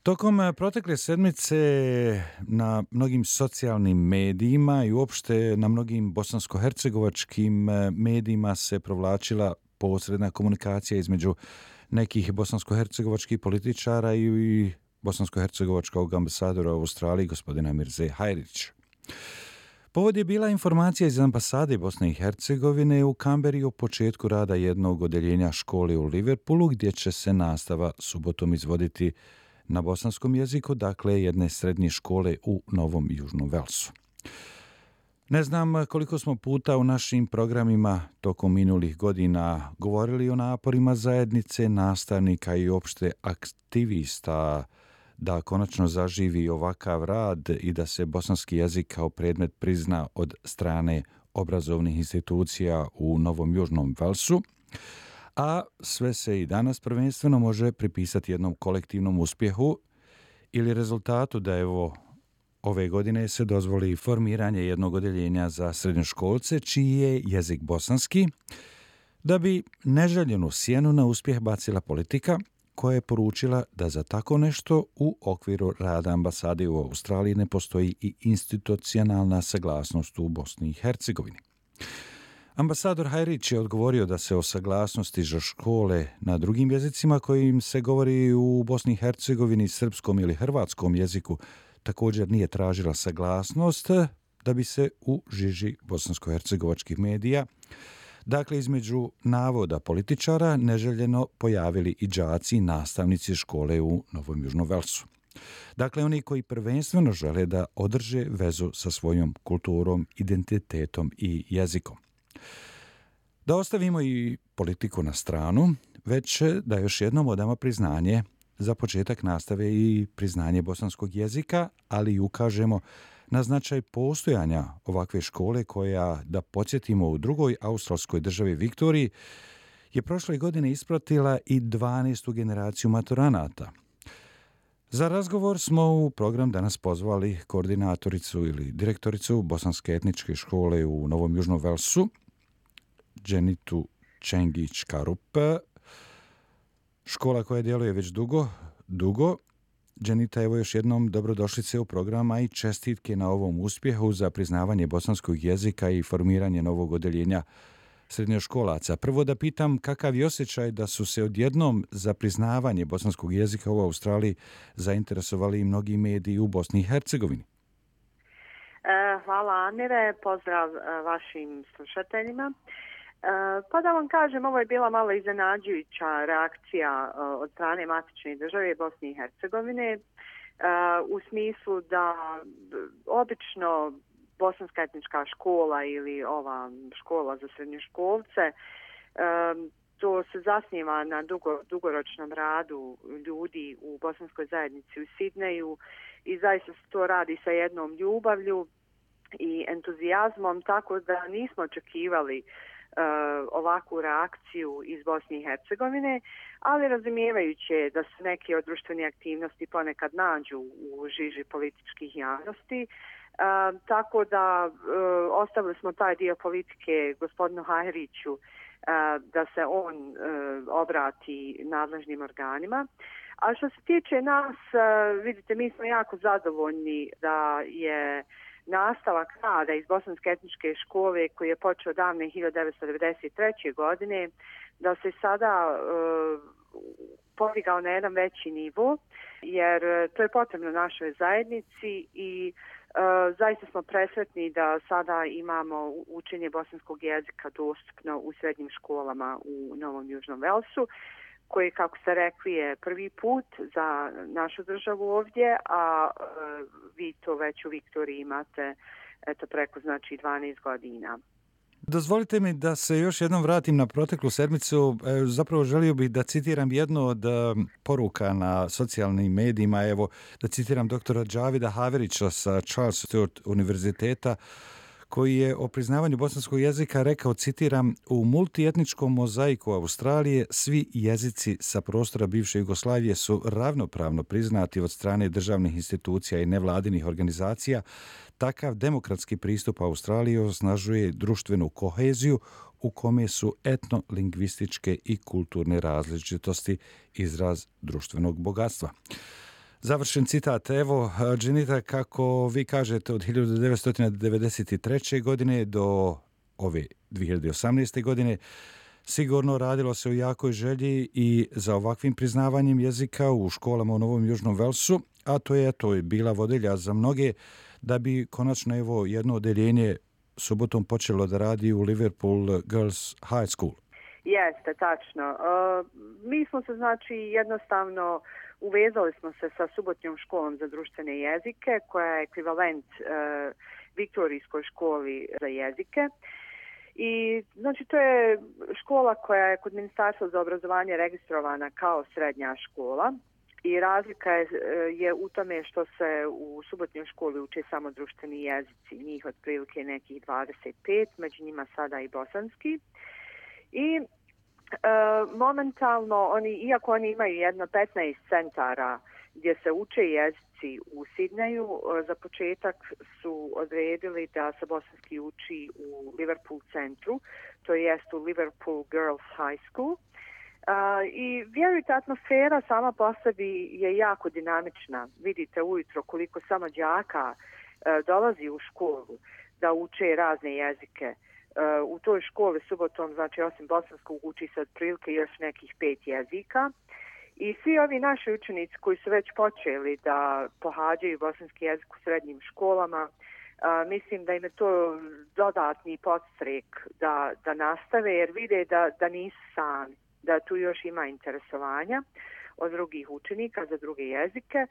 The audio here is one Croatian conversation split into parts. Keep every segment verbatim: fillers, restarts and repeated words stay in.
Tokom protekle sedmice na mnogim socijalnim medijima i uopšte na mnogim bosansko-hercegovačkim medijima se provlačila posredna komunikacija između nekih bosansko-hercegovačkih političara i bosansko-hercegovačkog ambasadora u Australiji, gospodina Mirze Hajrić. Povod je bila informacija iz ambasade Bosne i Hercegovine u Kamberi o početku rada jednog odeljenja škole u Liverpoolu, gdje će se nastava subotom izvoditi na bosanskom jeziku, dakle jedne srednje škole u Novom Južnom Velsu. Ne znam koliko smo puta u našim programima tokom minulih godina govorili o naporima zajednice, nastavnika i opšte aktivista da konačno zaživi ovakav rad i da se bosanski jezik kao predmet prizna od strane obrazovnih institucija u Novom Južnom Velsu, a sve se i danas prvenstveno može pripisati jednom kolektivnom uspjehu ili rezultatu da evo ove godine se dozvoli formiranje jednog odeljenja za srednjoškolce čiji je jezik bosanski, da bi neželjenu sjenu na uspjeh bacila politika koja je poručila da za tako nešto u okviru rada ambasade u Australiji ne postoji i institucionalna saglasnost u Bosni i Hercegovini. Ambasador Hajrić je odgovorio da se o saglasnosti za škole na drugim jezicima kojim se govori u Bosni i Hercegovini, srpskom ili hrvatskom jeziku također nije tražila saglasnost, da bi se u žiži bosansko-hercegovačkih medija, dakle između navoda političara, neželjeno pojavili i đaci i nastavnici škole u Novom Južnom Velsu. Dakle, oni koji prvenstveno žele da održe vezu sa svojom kulturom, identitetom i jezikom. Da ostavimo i politiku na stranu, već da još jednom odamo priznanje za početak nastave i priznanje bosanskog jezika, ali i ukažemo na značaj postojanja ovakve škole koja, da podsjetimo, u drugoj australskoj državi Viktoriji je prošle godine ispratila i dvanaestu generaciju maturanata. Za razgovor smo u program danas pozvali koordinatoricu ili direktoricu Bosanske etničke škole u Novom Južnom Velsu, Dženitu Čengić-Karup, škola koja djeluje već dugo, dugo. Dženita, evo još jednom dobrodošlice u programa i čestitke na ovom uspjehu za priznavanje bosanskog jezika i formiranje novog odeljenja srednjoškolaca. Prvo da pitam kakav je osjećaj da su se odjednom za priznavanje bosanskog jezika u Australiji zainteresovali i mnogi mediji u Bosni i Hercegovini. Hvala Amire, pozdrav vašim slušateljima. Pa da vam kažem, ovo je bila malo iznenađujuća reakcija od strane matične države Bosne i Hercegovine u smislu da obično bosanska etnička škola ili ova škola za srednjoškolce, to se zasniva na dugo, dugoročnom radu ljudi u bosanskoj zajednici u Sidneju i zaista se to radi sa jednom ljubavlju i entuzijazmom, tako da nismo očekivali Uh, ovakvu reakciju iz Bosne i Hercegovine, ali razumijevajuće da se neke od društvene aktivnosti ponekad nađu u žiži političkih javnosti, uh, tako da uh, ostavili smo taj dio politike gospodinu Hajriću uh, da se on uh, obrati nadležnim organima. A što se tiče nas, uh, vidite, mi smo jako zadovoljni da je nastavak rada iz Bosanske etničke škole koji je počeo davne hiljadu devetsto devedeset treće. godine, da se sada uh, podigao na jedan veći nivo, jer to je potrebno našoj zajednici i uh, zaista smo presretni da sada imamo učenje bosanskog jezika dostupno u srednjim školama u Novom Južnom Velsu, koji, kako ste rekli, je prvi put za našu državu ovdje, a e, vi to već u Viktoriji imate eto, preko znači dvanaest godina. Dozvolite mi da se još jednom vratim na proteklu sedmicu. E, zapravo želio bih da citiram jednu od e, poruka na socijalnim medijima. Evo, da citiram doktora Džavida Haverića sa Charles Sturt univerziteta, koji je o priznavanju bosanskog jezika rekao, citiram, u multietničkom mozaiku Australije svi jezici sa prostora bivše Jugoslavije su ravnopravno priznati od strane državnih institucija i nevladinih organizacija. Takav demokratski pristup Australiji osnažuje društvenu koheziju u kome su etno-lingvističke i kulturne različitosti izraz društvenog bogatstva. Završen citat. Evo, Dženita, kako vi kažete, od hiljadu devetsto devedeset treće. godine do ove dvije hiljade osamnaeste. godine sigurno radilo se u jakoj želji i za ovakvim priznavanjem jezika u školama u Novom Južnom Velsu, a to je to je bila vodilja za mnoge da bi konačno evo jedno odeljenje subotom počelo da radi u Liverpool Girls High School. Jeste, tačno. Uh, mi smo se znači jednostavno uvezali smo se sa subotnjom školom za društvene jezike koja je ekvivalent uh, Viktorijskoj školi za jezike. I znači to je škola koja je kod Ministarstva za obrazovanje registrovana kao srednja škola i razlika je, je u tome što se u subotnjoj školi uče samo društveni jezici, njih otprilike nekih dvadeset pet, među njima sada i bosanski. I e, momentalno, oni, iako oni imaju jedno petnaest centara gdje se uče jezici u Sidneju, za početak su odredili da se bosanski uči u Liverpool centru, to jest u Liverpool Girls High School. Uh, I vjerujte, atmosfera sama po sebi je jako dinamična. Vidite ujutro koliko samo đaka uh, dolazi u školu da uče razne jezike. Uh, u toj školi subotom, znači osim bosanskog, uči se otprilike još nekih pet jezika. I svi ovi naši učenici koji su već počeli da pohađaju bosanski jezik u srednjim školama, uh, mislim da im je to dodatni podstrek da, da nastave, jer vide da, da nisu sami, da tu još ima interesovanja od drugih učenika za druge jezike.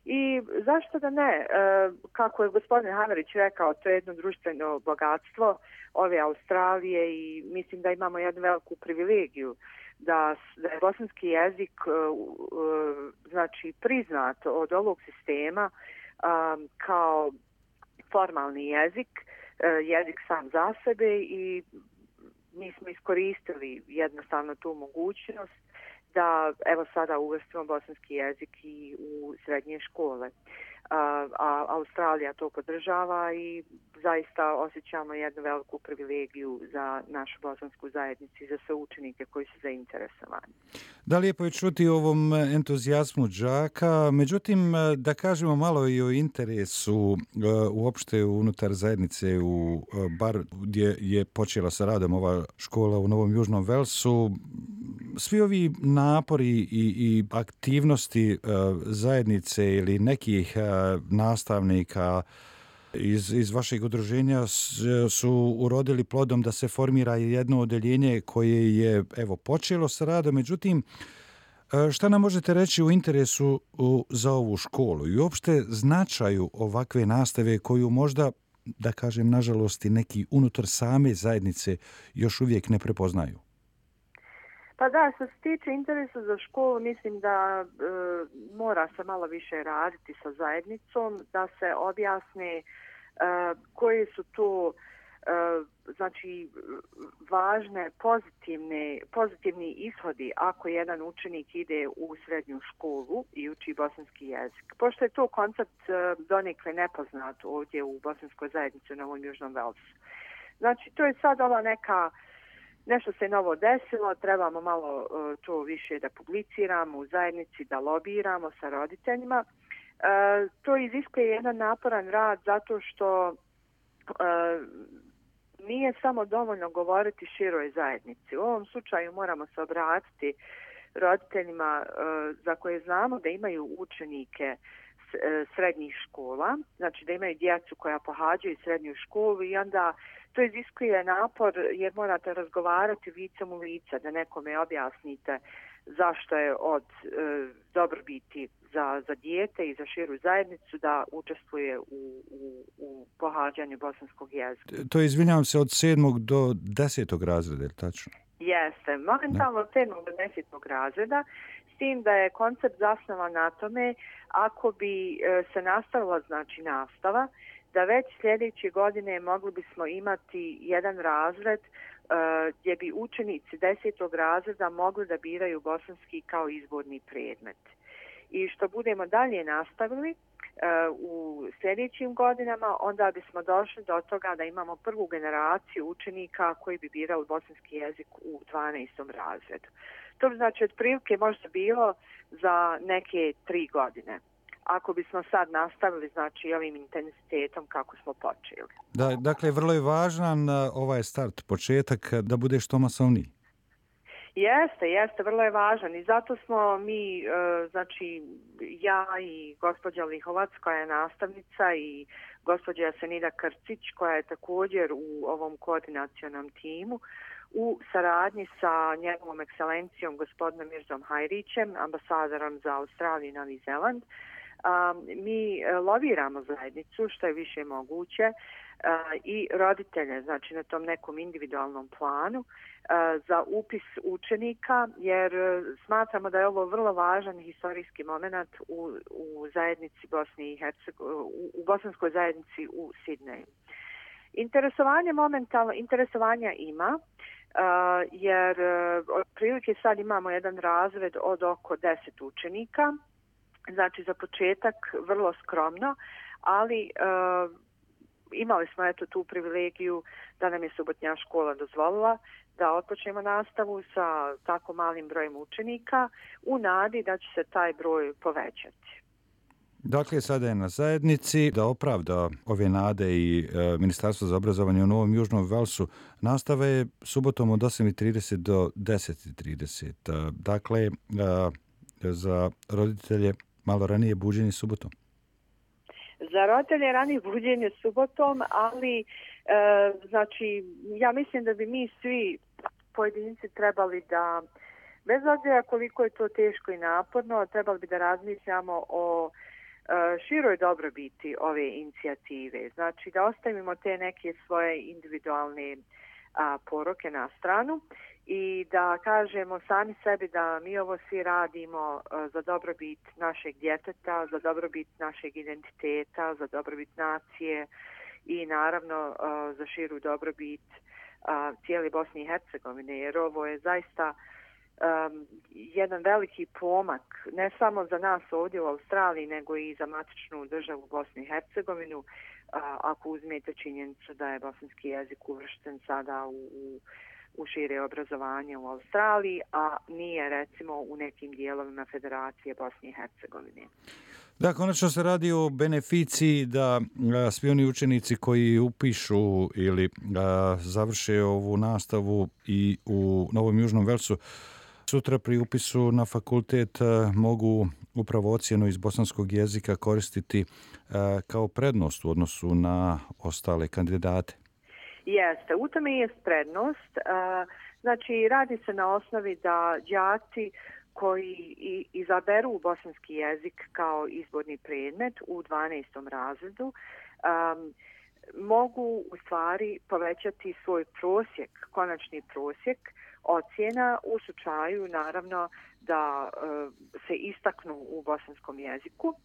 I zašto da ne? E, kako je gospodin Hamerić rekao, to je jedno društveno bogatstvo ove Australije i mislim da imamo jednu veliku privilegiju da, da je bosanski jezik e, e, znači priznat od ovog sistema e, kao formalni jezik, e, jezik sam za sebe i mi smo iskoristili jednostavno tu mogućnost da evo sada uvrstimo bosanski jezik i u srednje škole. A, a Australija to podržava i zaista osjećamo jednu veliku privilegiju za našu bosansku zajednicu i za sve učenike koji su zainteresovani. Da, lijepo je čuti o ovom entuzijazmu đaka, međutim da kažemo malo i o interesu uopšte unutar zajednice u bar gdje je počela sa radom ova škola u Novom Južnom Velsu. Svi ovi napori i, i aktivnosti uh, zajednice ili nekih uh, nastavnika iz, iz vašeg udruženja su urodili plodom da se formira jedno odeljenje koje je evo počelo sa radom. Međutim, šta nam možete reći u interesu u, za ovu školu i uopšte značaju ovakve nastave koju možda, da kažem, nažalost i neki unutar same zajednice još uvijek ne prepoznaju? Pa da, što se tiče interesa za školu, mislim da e, mora se malo više raditi sa zajednicom, da se objasne e, koji su to e, znači važne pozitivne, pozitivni ishodi ako jedan učenik ide u srednju školu i uči bosanski jezik. Pošto je to koncept e, donekle nepoznat ovdje u bosanskoj zajednici u Novom Južnom Velsu. Znači, to je sad ova neka nešto se novo desilo, trebamo malo uh, to više da publiciramo u zajednici, da lobiramo sa roditeljima. Uh, to iziskuje jedan naporan rad zato što uh, nije samo dovoljno govoriti široj zajednici. U ovom slučaju moramo se obratiti roditeljima uh, za koje znamo da imaju učenike s, uh, srednjih škola, znači da imaju djecu koja pohađaju srednju školu i onda to iziskuje napor jer morate razgovarati licem u lice, da nekome objasnite zašto je od e, dobrobiti za, za dijete i za širu zajednicu da učestvuje u, u, u pohađanju bosanskog jezika. To je, izvinjavam se, od sedmog do desetog razreda, je li tačno? Jeste, momentalno od sedmog do desetog razreda, s tim da je koncept zasnovan na tome ako bi e, se nastavila znači nastava, da već sljedeće godine mogli bismo imati jedan razred uh, gdje bi učenici desetog razreda mogli da biraju bosanski kao izborni predmet. I što budemo dalje nastavili uh, u sljedećim godinama, onda bismo došli do toga da imamo prvu generaciju učenika koji bi birali bosanski jezik u dvanaestom razredu. To bi znači otprilike možda bilo za neke tri godine. ako bismo sad nastavili, znači, ovim intenzitetom kako smo počeli. Da, dakle, vrlo je važan ovaj start, početak, da bude što masovniji. Jeste, jeste, vrlo je važan i zato smo mi, znači ja i gospođa Lihovac koja je nastavnica i gospođa Jasenida Krcić koja je također u ovom koordinacionom timu u saradnji sa njegovom ekscelencijom gospodinom Mirzom Hajrićem, ambasadorom za Australiju i Novi Zeland. Mi loviramo zajednicu što je više moguće i roditelje, znači na tom nekom individualnom planu za upis učenika, jer smatramo da je ovo vrlo važan historijski moment u, u zajednici Bosne i Hercegovine, u bosanskoj zajednici u Sidneju. Interesovanje momentalno, interesovanja ima, jer otprilike sad imamo jedan razred od oko deset učenika, znači za početak vrlo skromno, ali uh, imali smo eto tu privilegiju da nam je subotnja škola dozvolila da otpočnemo nastavu sa tako malim brojem učenika u nadi da će se taj broj povećati. Dakle, sada je na zajednici da opravda ove nade i e, Ministarstvo za obrazovanje u Novom Južnom Velsu nastave subotom od osam i trideset do deset i trideset. E, dakle, e, za roditelje malo ranije buđenje subotom. Za roditelje ranije buđenje subotom, ali e, znači ja mislim da bi mi svi pojedinci trebali da, bez obzira koliko je to teško i naporno, trebali bi da razmišljamo o e, široj dobrobiti ove inicijative. Znači da ostavimo te neke svoje individualne a, poroke na stranu i da kažemo sami sebi da mi ovo svi radimo uh, za dobrobit našeg djeteta, za dobrobit našeg identiteta, za dobrobit nacije i naravno uh, za širu dobrobit uh, cijele Bosne i Hercegovine, jer ovo je zaista um, jedan veliki pomak, ne samo za nas ovdje u Australiji, nego i za matičnu državu Bosnu i Hercegovinu, uh, ako uzmete činjenicu da je bosanski jezik uvršten sada u, u u šire obrazovanje u Australiji, a nije recimo u nekim dijelovima Federacije Bosne i Hercegovine. Da, konačno se radi o beneficiji da a, svi oni učenici koji upišu ili a, završe ovu nastavu i u Novom Južnom Velsu sutra pri upisu na fakultet a, mogu upravo ocjenu iz bosanskog jezika koristiti a, kao prednost u odnosu na ostale kandidate. Jeste, u tome je prednost. Znači, radi se na osnovi da đaci koji izaberu bosanski jezik kao izborni predmet u dvanaestom razredu um, mogu u stvari povećati svoj prosjek, konačni prosjek ocjena u slučaju naravno da uh, se istaknu u bosanskom jeziku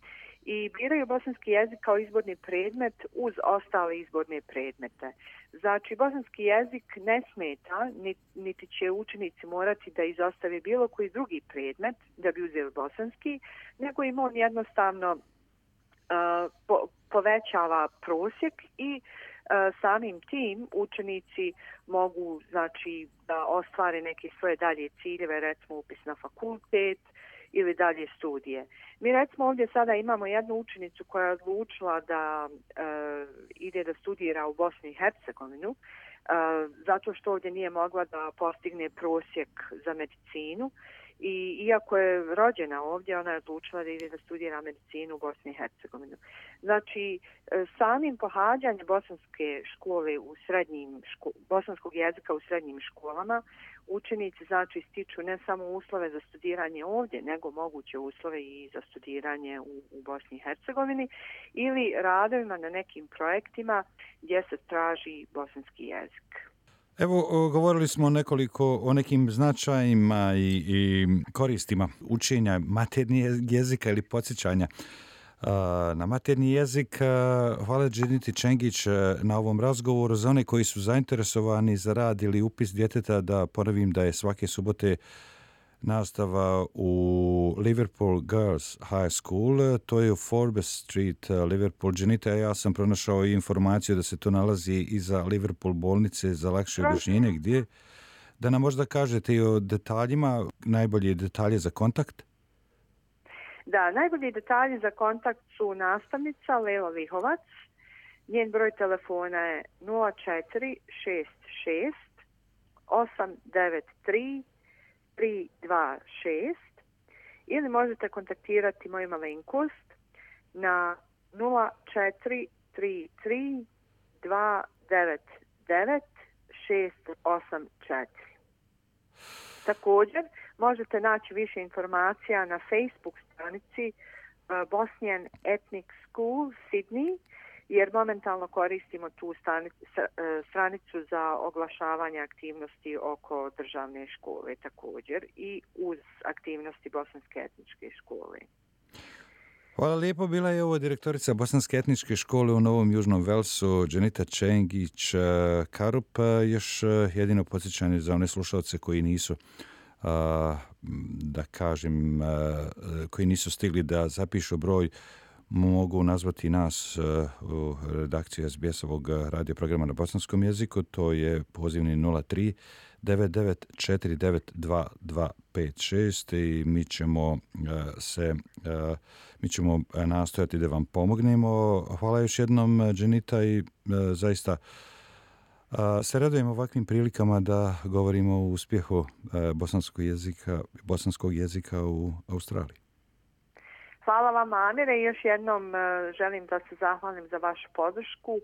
i biraju bosanski jezik kao izborni predmet uz ostale izborne predmete. Znači, bosanski jezik ne smeta, niti će učenici morati da izostave bilo koji drugi predmet da bi uzeli bosanski, nego im on jednostavno uh, po, povećava prosjek i uh, samim tim učenici mogu, znači, da ostvare neke svoje dalje ciljeve, recimo upis na fakultet ili dalje studije. Mi recimo ovdje sada imamo jednu učenicu koja je odlučila da e, ide da studira u Bosni i Hercegovinu e, zato što ovdje nije mogla da postigne prosjek za medicinu i iako je rođena ovdje, ona je odlučila da ide da studira medicinu u Bosni i Hercegovinu. Znači, samim pohađanjem bosanske škole u srednjim ško, bosanskog jezika u srednjim školama učenici znači stiču ne samo uslove za studiranje ovdje, nego moguće uslove i za studiranje u, u Bosni i Hercegovini ili radovima na nekim projektima gdje se traži bosanski jezik. Evo, govorili smo nekoliko o nekim značajima i, i koristima učenja maternjeg jezika ili podsjećanja na maternji jezik. Hvala Dženiti Čengić na ovom razgovoru. Za one koji su zainteresovani za rad ili upis djeteta, da ponovim da je svake subote nastava u Liverpool Girls High School, to je u Forbes Street, Liverpool. Dženita, ja sam pronašao informaciju da se to nalazi iza Liverpool bolnice za lakše objašnjenje. Gdje? Da nam možda kažete i o detaljima, najbolje detalje za kontakt? Da, najbolji detalji za kontakt su nastavnica Lela Lihovac. Njen broj telefona je nula četiri šest šest osam devet tri tri dva šest ili možete kontaktirati moju malenkost na nula četiri tri tri dva devet devet šest osam četiri. Također možete naći više informacija na Facebook stranici uh, Bosnian Ethnic School Sydney, jer momentalno koristimo tu stanicu, stranicu za oglašavanje aktivnosti oko državne škole također i uz aktivnosti Bosanske etničke škole. Hvala lijepo. Bila je ovo direktorica Bosanske etničke škole u Novom Južnom Velsu, Dženita Čengić-Karup. Još jedino podsjećanje za one slušalce koji nisu, da kažem, koji nisu stigli da zapišu broj, mogu nazvati nas u redakciji es be es-ovog radio programa na bosanskom jeziku. To je pozivni nula tri devet devet četiri devet dva dva pet šest i mi ćemo se mi ćemo nastojati da vam pomognemo. Hvala još jednom, Dženita, i zaista se radujemo ovakvim prilikama da govorimo o uspjehu bosanskog jezika, bosanskog jezika u Australiji. Hvala vam, Amire, i još jednom želim da se zahvalim za vašu podršku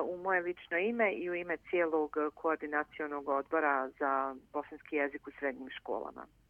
u moje lično ime i u ime cijelog koordinacionog odbora za bosanski jezik u srednjim školama.